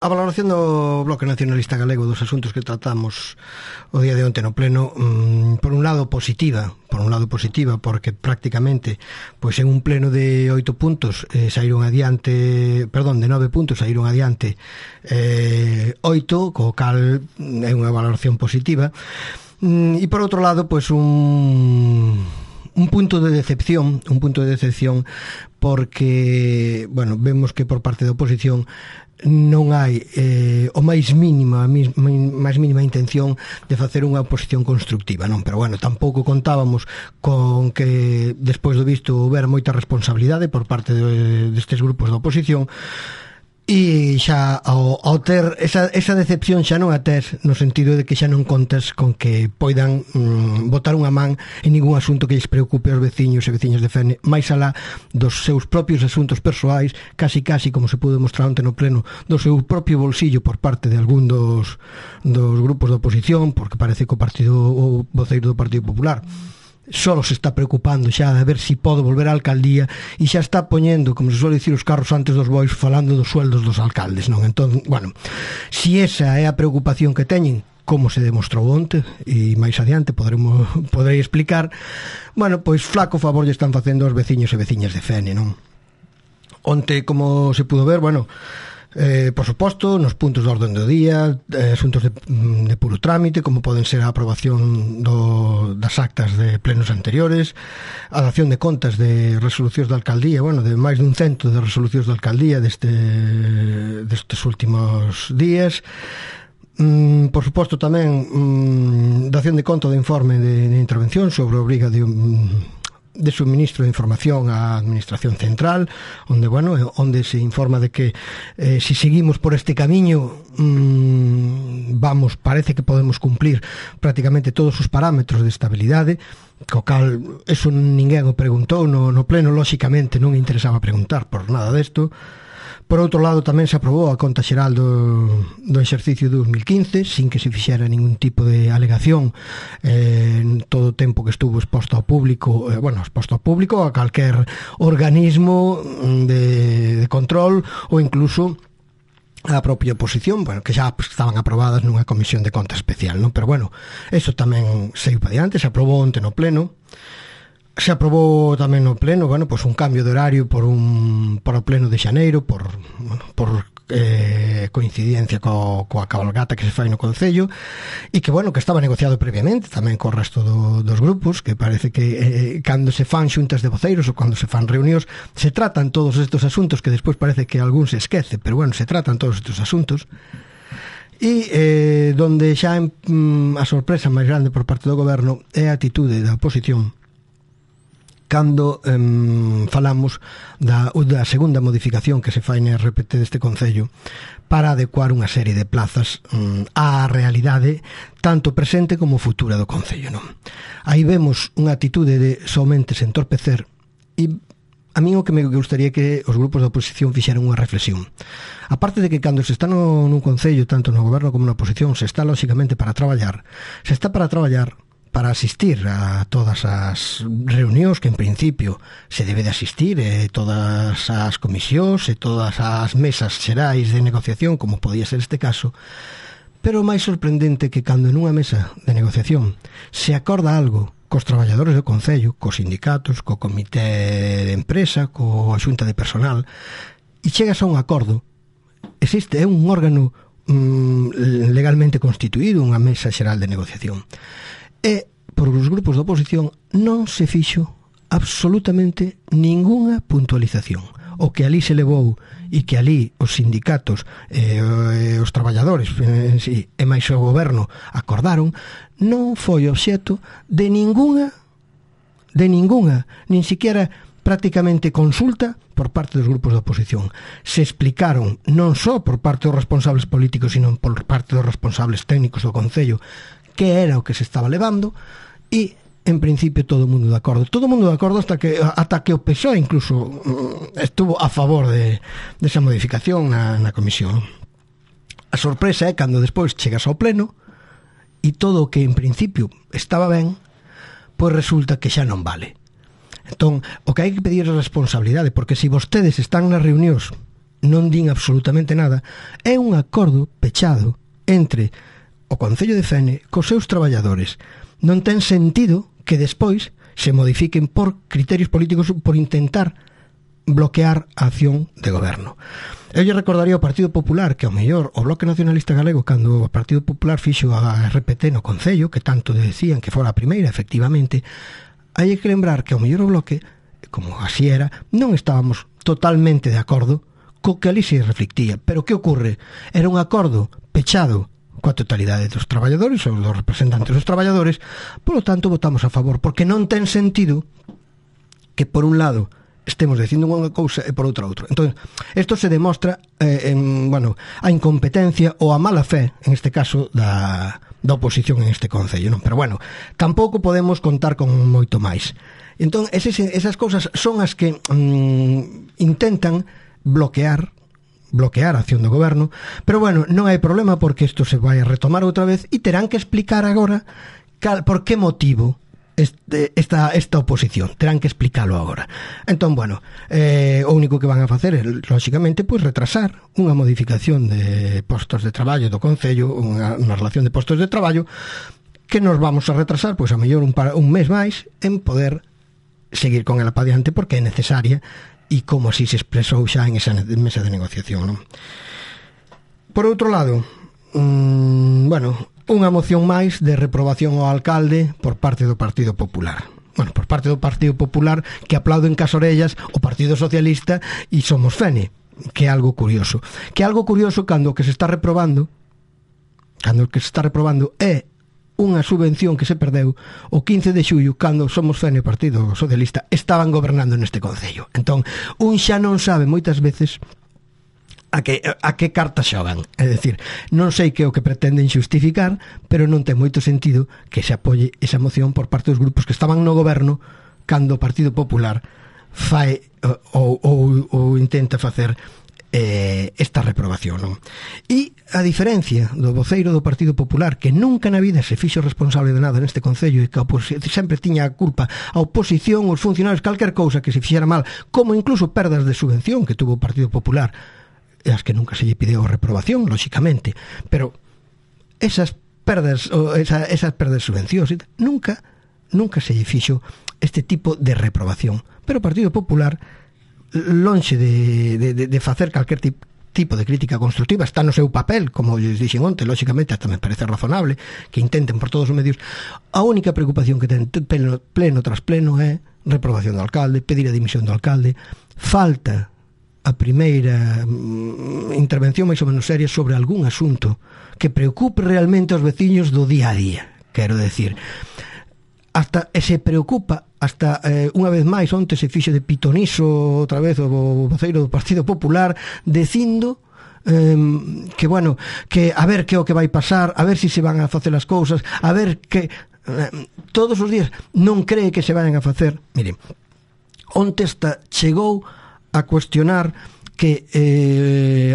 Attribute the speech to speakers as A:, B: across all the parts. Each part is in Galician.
A: A valoración do Bloque Nacionalista Galego dos asuntos que tratamos o día de onte no pleno, por un lado positiva, porque prácticamente pois en un pleno de 8 puntos saíron adiante, de 9 puntos saíron adiante 8, co cal é unha valoración positiva. E por outro lado, pois un punto de decepción, porque, vemos que por parte da oposición non hai o máis mínima intención de facer unha oposición constructiva, non? Pero tampouco contábamos con que despois do visto houbera moita responsabilidade por parte destes grupos da oposición. E xa ao ter esa decepción xa non a tes no sentido de que xa non contas con que poidan botar unha man en ningún asunto que lles preocupe aos veciños e veciñas de Fene, máis alá dos seus propios asuntos persoais, casi como se pudo demostrar onte no pleno, do seu propio bolsillo por parte de algún dos grupos da oposición, porque parece que o voceiro do Partido Popular solo se está preocupando xa de ver si pode volver á alcaldía e xa está poñendo, como se suele dicir, os carros antes dos bois, falando dos sueldos dos alcaldes, non? Entón, si esa é a preocupación que teñen, como se demostrou onte e máis adiante poderei explicar, pois flaco favor lle están facendo aos veciños e veciñas de Fene, non? Onte, como se pudo ver, por suposto, nos puntos de orden do día, asuntos de puro trámite, como poden ser a aprobación das actas de plenos anteriores, a dación de contas de resolucións da alcaldía, de máis dun cento de resolucións da alcaldía destes últimos días. Por suposto tamén dación de conta do informe de intervención sobre a obriga de suministro de información á Administración Central, onde se informa de que si seguimos por este camiño parece que podemos cumplir prácticamente todos os parámetros de estabilidade, co cal eso ninguén o preguntou no pleno, lóxicamente non interesaba preguntar por nada desto. Por outro lado, tamén se aprobou a conta xeral do exercicio 2015 sin que se fixera ningún tipo de alegación en todo o tempo que estuvo exposto ao público, a calquer organismo de control ou incluso a propia oposición, que xa estaban aprobadas nunha comisión de conta especial, non? Pero eso tamén saiu para diante, se aprobou onte no pleno. Se aprobou tamén no pleno, un cambio de horario para o pleno de xaneiro, por coincidencia coa cabalgata que se fai no Concello, e que estaba negociado previamente tamén co resto dos grupos, que parece que cando se fan xuntas de voceiros ou cando se fan reunións se tratan todos estes asuntos que despois parece que algún se esquece, pero se tratan todos estes asuntos. E donde xa a sorpresa máis grande por parte do goberno é a atitude da oposición cando falamos da segunda modificación que se fai na RPT deste Concello para adecuar unha serie de plazas á realidade tanto presente como futura do Concello, non? Aí vemos unha atitude de somente se entorpecer, e a mí o que me gustaría que os grupos da oposición fixeran unha reflexión. A parte de que cando se está nun Concello, tanto no goberno como na oposición, se está lóxicamente para traballar para asistir a todas as reunións que en principio se debe de asistir, todas as comisións e todas as mesas xerais de negociación, como podía ser este caso, pero o máis sorprendente que cando nunha mesa de negociación se acorda algo cos traballadores do Concello, cos sindicatos, co comité de empresa, coa xunta de personal, e chegas a un acordo, é un órgano legalmente constituído, unha mesa xeral de negociación. E, por os grupos da oposición, non se fixo absolutamente ningunha puntualización. O que ali se levou e que ali os sindicatos os traballadores e máis o goberno acordaron non foi obxecto de ningunha, nin siquiera prácticamente consulta por parte dos grupos da oposición. Se explicaron non só por parte dos responsables políticos, sino por parte dos responsables técnicos do Concello que era o que se estaba levando, e en principio todo o mundo de acordo hasta que o PSOE incluso estuvo a favor de esa modificación na comisión. A sorpresa é cando despois chegas ao pleno e todo o que en principio estaba ben, pois resulta que xa non vale. Entón, o que hai que pedir é responsabilidade, porque se vostedes están nas reunións non din absolutamente nada, é un acordo pechado entre o Concello de Fene cos seus traballadores. Non ten sentido que despois se modifiquen por criterios políticos por intentar bloquear a acción de goberno. Eu lle recordaría ao Partido Popular que ao mellor o Bloque Nacionalista Galego, cando o Partido Popular fixo a RPT no Concello, que tanto decían que fora a primeira, efectivamente, hai que lembrar que ao mellor o Bloque, como así era, non estábamos totalmente de acordo co que ali se reflectía. Pero que ocorre? Era un acordo pechado coa totalidade dos traballadores ou dos representantes dos traballadores, polo tanto votamos a favor, porque non ten sentido que por un lado estemos dicindo unha cousa e por outra. Entón, isto se demostra a incompetencia ou a mala fe, en este caso, da oposición en este Concello, non? Pero bueno, tampouco podemos contar con moito máis. Entón, esas cousas son as que intentan bloquear a acción do goberno, pero bueno, non hai problema porque isto se vai a retomar outra vez e terán que explicar agora por que motivo esta oposición, terán que explicarlo agora. Entón, bueno, o único que van a facer é, lóxicamente, pois retrasar unha modificación de postos de traballo do Concello, unha relación de postos de traballo que nos vamos a retrasar, pois a mellor un mes máis en poder seguir con ela para diante porque é necesaria e como así se expresou xa en esa mesa de negociación, non? Por outro lado, unha moción máis de reprobación ao alcalde por parte do Partido Popular. Bueno, por parte do Partido Popular, que aplauden cas orellas o Partido Socialista e Somos Fene, que é algo curioso. Que é algo curioso cando o que se está reprobando é unha subvención que se perdeu o 15 de xullo cando Somos Fene e o Partido Socialista estaban gobernando neste Concello. Entón, un xa non sabe moitas veces a que carta xogan. É dicir, non sei que é o que pretenden xustificar, pero non ten moito sentido que se apoie esa moción por parte dos grupos que estaban no goberno cando o Partido Popular fai ou intenta facer esta reprobación, non? E a diferencia do voceiro do Partido Popular, que nunca na vida se fixo responsable de nada neste Concello e que sempre tiña a culpa a oposición, os funcionarios, calquer cousa que se fixera mal, como incluso perdas de subvención que tuvo o Partido Popular, e as que nunca se lle pideu a reprobación, lóxicamente, pero esas perdas de subvencións nunca se lle fixo este tipo de reprobación. Pero o Partido Popular, lonxe de facer calquer tipo de crítica constructiva, está no seu papel, como lles dixen onte, lóxicamente hasta me parece razonable que intenten por todos os medios. A única preocupación que ten pleno tras pleno é reprobación do alcalde, pedir a dimisión do alcalde. Falta a primeira intervención máis ou menos seria sobre algún asunto que preocupe realmente aos veciños do día a día. Quero decir, se preocupa hasta unha vez máis onte se fixo de pitoniso outra vez o voceiro do Partido Popular dicindo que bueno, que a ver que é o que vai pasar, a ver se van a facer as cousas, a ver que todos os días non cree que se vayan a facer. Mire, onte chegou a cuestionar que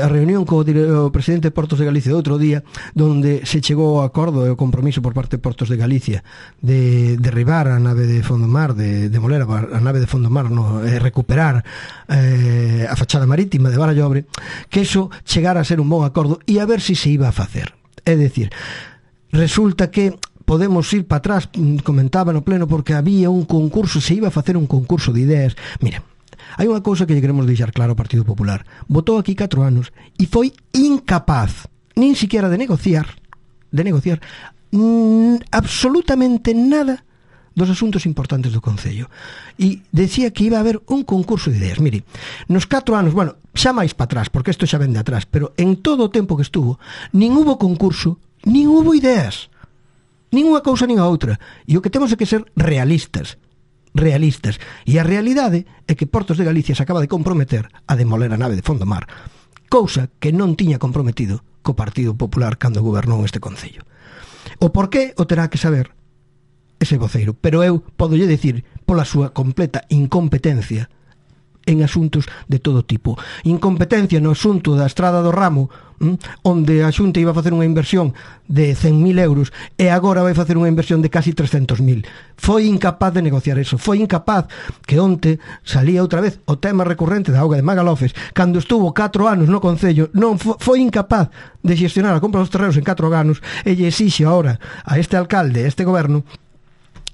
A: a reunión co presidente de Portos de Galicia do outro día, donde se chegou ao acordo e o compromiso por parte de Portos de Galicia de derribar a nave de Fondomar, de demoler a nave de Fondomar, recuperar a fachada marítima de Barallobre, que eso chegara a ser un bon acordo e a ver se iba a facer. É dicir, resulta que podemos ir para atrás, comentaba no pleno, porque había un concurso, se iba a facer un concurso de ideas. Mira, hai unha cousa que lle queremos deixar claro ao Partido Popular. Votou aquí 4 anos e foi incapaz nin siquiera de negociar absolutamente nada dos asuntos importantes do Concello. E decía que iba a haber un concurso de ideas. Mire, nos 4 anos, bueno, xa máis para atrás, porque isto xa ven de atrás, pero en todo o tempo que estuvo, nin hubo concurso, nin hubo ideas. Nin unha cousa nin a outra. E o que temos é que ser realistas. E a realidade é que Portos de Galicia se acaba de comprometer a demoler a nave de Fondomar, cousa que non tiña comprometido co Partido Popular cando gobernou este Concello. O porqué o terá que saber ese voceiro, pero eu podolle dicir pola súa completa incompetencia en asuntos de todo tipo. Incompetencia no asunto da Estrada do Ramo, onde a Xunta iba a facer unha inversión de 100.000 euros e agora vai facer unha inversión de casi 300.000. Foi incapaz de negociar eso, foi incapaz que onte salía outra vez o tema recurrente da auga de Magalofes, cando estuvo 4 anos no Concello, non foi incapaz de xestionar a compra dos terrenos en 4 anos e lle exixe ahora a este alcalde, a este goberno,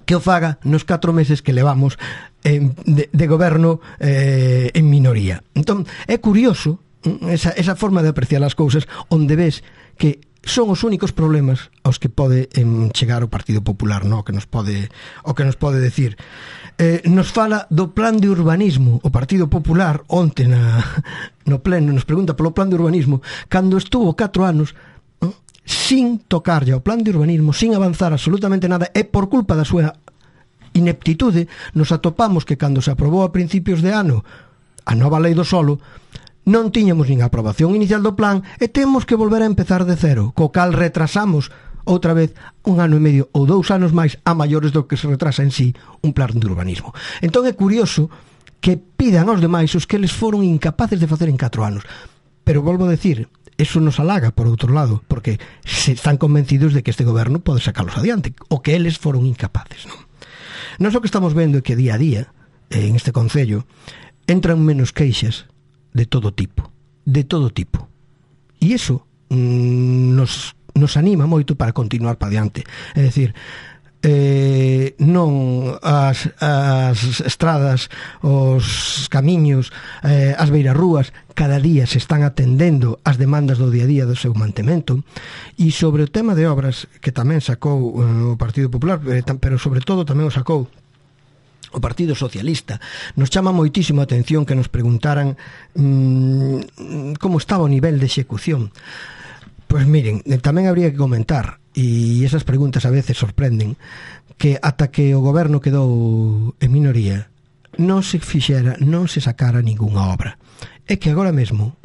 A: que o faga nos 4 meses que levamos de goberno en minoría. Entón, é curioso esa forma de apreciar as cousas, onde ves que son os únicos problemas aos que pode chegar o Partido Popular, no? O que nos pode decir. Nos fala do plan de urbanismo. O Partido Popular onte no pleno nos pregunta polo plan de urbanismo, cando estuvo 4 anos sin tocarlle ao plan de urbanismo, sin avanzar absolutamente nada, e por culpa da súa ineptitude nos atopamos que cando se aprobou a principios de ano a nova lei do solo, non tiñamos nin aprobación inicial do plan e temos que volver a empezar de cero, co cal retrasamos outra vez 1 ano e medio ou 2 anos máis a maiores do que se retrasa en sí un plan de urbanismo. Entón é curioso que pidan aos demais os que eles foron incapaces de facer en 4 anos. Pero volvo a decir, eso nos halaga por outro lado, porque se están convencidos de que este goberno pode sacalos adiante, o que eles foron incapaces, non? Nós o que estamos vendo é que día a día, en este Concello, entran menos queixas de todo tipo. E iso nos anima moito para continuar para diante. É dicir, non as estradas, os camiños, as beirarrúas cada día se están atendendo as demandas do día a día do seu mantemento, e sobre o tema de obras que tamén sacou o Partido Popular, pero sobre todo tamén o sacou o Partido Socialista, nos chama moitísimo a atención que nos preguntaran como estaba o nivel de execución. Pois miren, tamén habría que comentar, e esas preguntas a veces sorprenden, que ata que o goberno quedou en minoría non se sacara ningunha obra. É que agora mesmo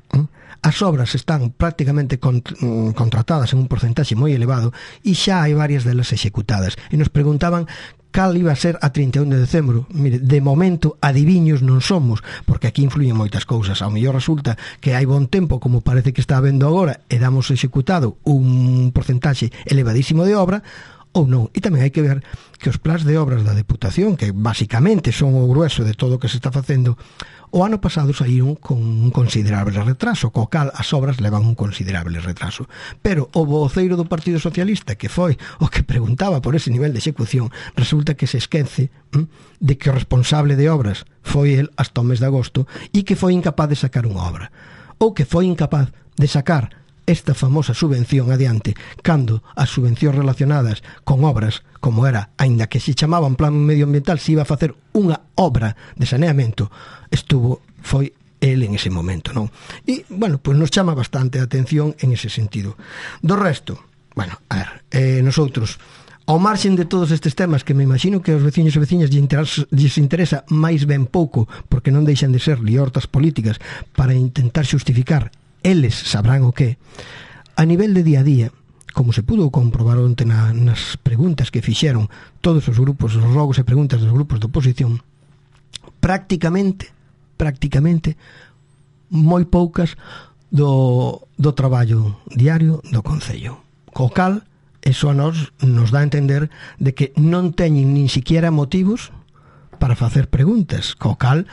A: as obras están prácticamente contratadas en un porcentaxe moi elevado e xa hai varias delas executadas. E nos preguntaban cal iba a ser a 31 de decembro. Mire, de momento adiviños non somos, porque aquí influyen moitas cousas. Ao mellor resulta que hai bon tempo, como parece que está habendo agora, e damos executado un porcentaxe elevadísimo de obra, ou non. E tamén hai que ver que os plans de obras da Deputación, que basicamente son o grueso de todo o que se está facendo, o ano pasado saíron con un considerable retraso, co cal as obras levan un considerable retraso. Pero o voceiro do Partido Socialista, que foi o que preguntaba por ese nivel de execución, resulta que se esquece de que o responsable de obras foi el hasta o mes de agosto e que foi incapaz de sacar unha obra. Ou que foi incapaz de sacar esta famosa subvención adiante, cando as subvencións relacionadas con obras, como era, aínda que se chamaban plan medioambiental, se iba a facer unha obra de saneamento, foi el en ese momento, non? E, bueno, pues nos chama bastante a atención en ese sentido. Do resto, bueno, a ver, nosotros, ao marxen de todos estes temas que me imagino que aos veciños e veciñas lles interesa máis ben pouco, porque non deixan de ser liortas políticas para intentar xustificar, eles sabrán o que, a nivel de día a día, como se pudo comprobar onte nas preguntas que fixeron todos os grupos, os rogos e preguntas dos grupos de oposición, prácticamente moi poucas do traballo diario do Concello, co cal eso a nos dá a entender de que non teñen nin siquiera motivos para facer preguntas, co cal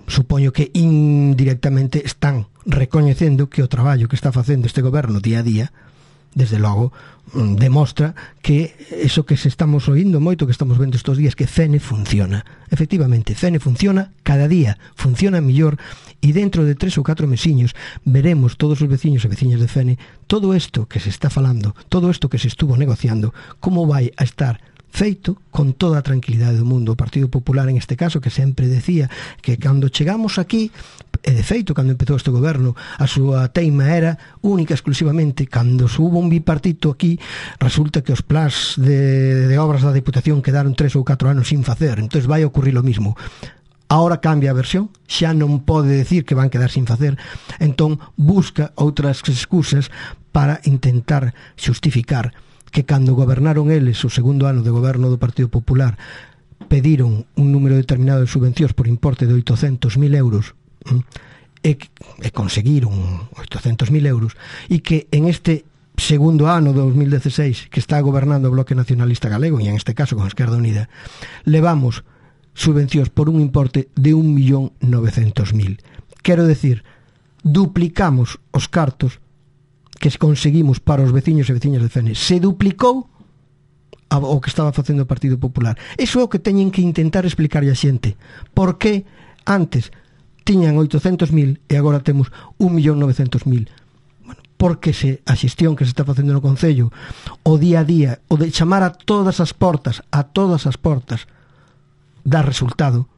A: supoño que indirectamente están recoñecendo que o traballo que está facendo este goberno día a día, desde logo, demostra que eso que se estamos oindo moito, que estamos vendo estos días, que Fene funciona. Efectivamente, Fene funciona, cada día funciona mellor, e dentro de 3 ou 4 mesiños veremos todos os veciños e veciñas de Fene todo isto que se está falando, todo isto que se estuvo negociando, como vai a estar feito con toda a tranquilidade do mundo. O Partido Popular, en este caso, que sempre decía que cando chegamos aquí, e de feito, cando empezou este goberno, a súa teima era única exclusivamente, cando hubo un bipartito aquí, resulta que os plans de obras da Deputación quedaron 3 ou 4 anos sin facer, entón vai ocurrir o mismo. Ahora cambia a versión, xa non pode decir que van quedar sin facer, entón busca outras excusas para intentar xustificar que cando gobernaron eles o segundo ano de goberno do Partido Popular pediron un número determinado de subvencións por importe de 800.000 euros e conseguiron 800.000 euros, e que en este segundo ano 2016 que está gobernando o Bloque Nacionalista Galego, e en este caso con Esquerda Unida, levamos subvencións por un importe de 1.900.000. Quero decir, duplicamos os cartos que conseguimos para os veciños e veciñas de Fene. Se duplicou o que estaba facendo o Partido Popular. Iso é o que teñen que intentar explicarlle a xente. Por que antes tiñan 800.000 e agora temos 1.900.000? Bueno, porque a xestión que se está facendo no Concello, o día a día, o de chamar a todas as portas, dá resultado,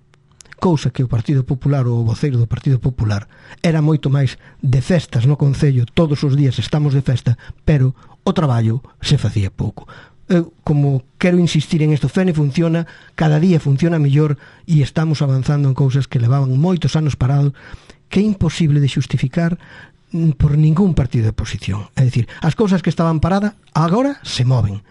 A: cousa que o Partido Popular ou o voceiro do Partido Popular era moito máis de festas no Concello, todos os días estamos de festa, pero o traballo se facía pouco. Eu, como quero insistir en isto, Fene funciona, cada día funciona mellor, e estamos avanzando en cousas que levaban moitos anos parados, que é imposible de xustificar por ningún partido de oposición. É dicir, as cousas que estaban paradas agora se moven.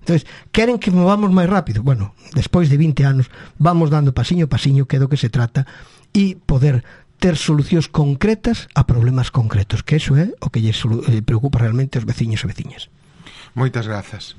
A: Entonces, queren que movamos máis rápido? Bueno, despois de 20 anos vamos dando pasiño a pasiño, que é do que se trata, e poder ter solucións concretas a problemas concretos, que eso é o que lles preocupa realmente aos veciños e veciñas.
B: Moitas grazas.